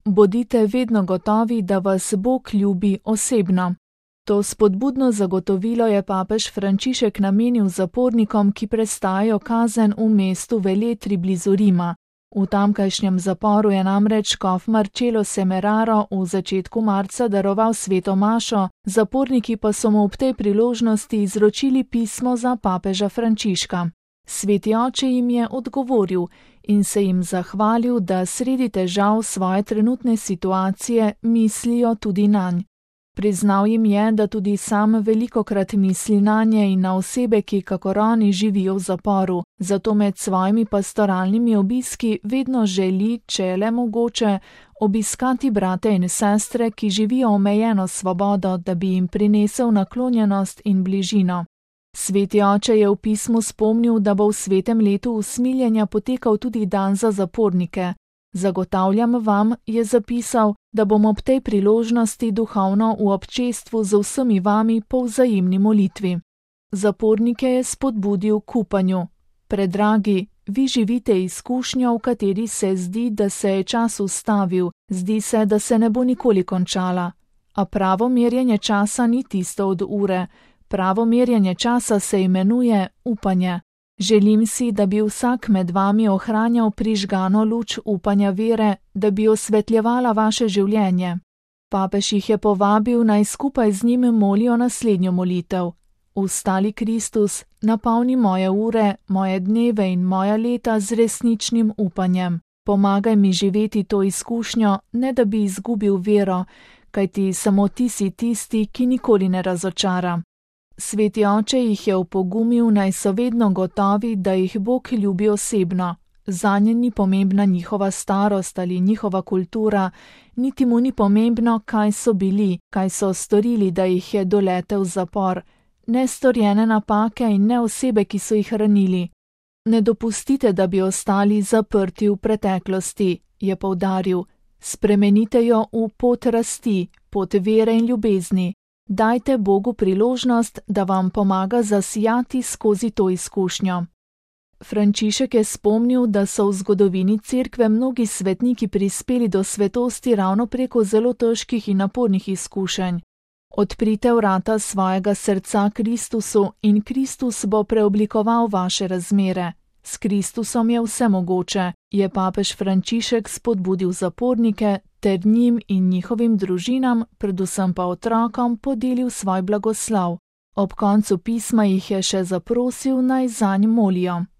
Bodite vedno gotovi, da vas Bog ljubi osebno. To spodbudno zagotovilo je papež Frančišek namenil zapornikom, ki prestajajo kazen v mestu Velletri blizu Rima. V tamkajšnjem zaporu je namreč škof Marcello Semeraro v začetku marca daroval sveto mašo, zaporniki pa so mu ob tej priložnosti izročili pismo za papeža Frančiška. Sveti oče jim je odgovoril in se jim zahvalil, da sredi težav svoje trenutne situacije mislijo tudi nanj. Priznal jim je, da tudi sam velikokrat misli nanje in na osebe, ki kakor oni živijo v zaporu, zato med svojimi pastoralnimi obiski vedno želi, če je le mogoče, obiskati brate in sestre, ki živijo omejeno svobodo, da bi jim prinesel naklonjenost in bližino. Sveti oče je v pismu spomnil, da bo v svetem letu usmiljenja potekal tudi dan za zapornike. Zagotavljam vam, je zapisal, da bom ob tej priložnosti duhovno v občestvu z vsemi vami po vzajemni molitvi. Zapornike je spodbudil k upanju. Predragi, vi živite izkušnjo, v kateri se zdi, da se je čas ustavil, zdi se, da se ne bo nikoli končala. A pravo merjenje časa ni tisto od ure. Pravo merjenje časa se imenuje upanje. Želim si, da bi vsak med vami ohranjal prižgano luč upanja vere, da bi osvetljevala vaše življenje. Papež jih je povabil, naj skupaj z njim molijo naslednjo molitev. Vstali Kristus, napolni moje ure, moje dneve in moja leta z resničnim upanjem. Pomagaj mi živeti to izkušnjo, ne da bi izgubil vero, kajti samo ti si tisti, ki nikoli ne razočara. Sveti oče jih je opogumil, naj so vedno gotovi, da jih Bog ljubi osebno. Zanje ni pomembna njihova starost ali njihova kultura, niti mu ni pomembno, kaj so bili, kaj so storili, da jih je doletel zapor, ne storjene napake in ne osebe, ki so jih ranili. Ne dopustite, da bi ostali zaprti v preteklosti, je poudaril. Spremenite jo v pot rasti, pot vere in ljubezni. Dajte Bogu priložnost, da vam pomaga zasijati skozi to izkušnjo. Frančišek je spomnil, da so v zgodovini cerkve mnogi svetniki prispeli do svetosti ravno preko zelo težkih in napornih izkušenj. Odprite vrata svojega srca Kristusu in Kristus bo preoblikoval vaše razmere. S Kristusom je vse mogoče, je papež Frančišek spodbudil zapornike ter njim in njihovim družinam, predvsem pa otrokom, podelil svoj blagoslov. Ob koncu pisma jih je še zaprosil, naj zanj molijo.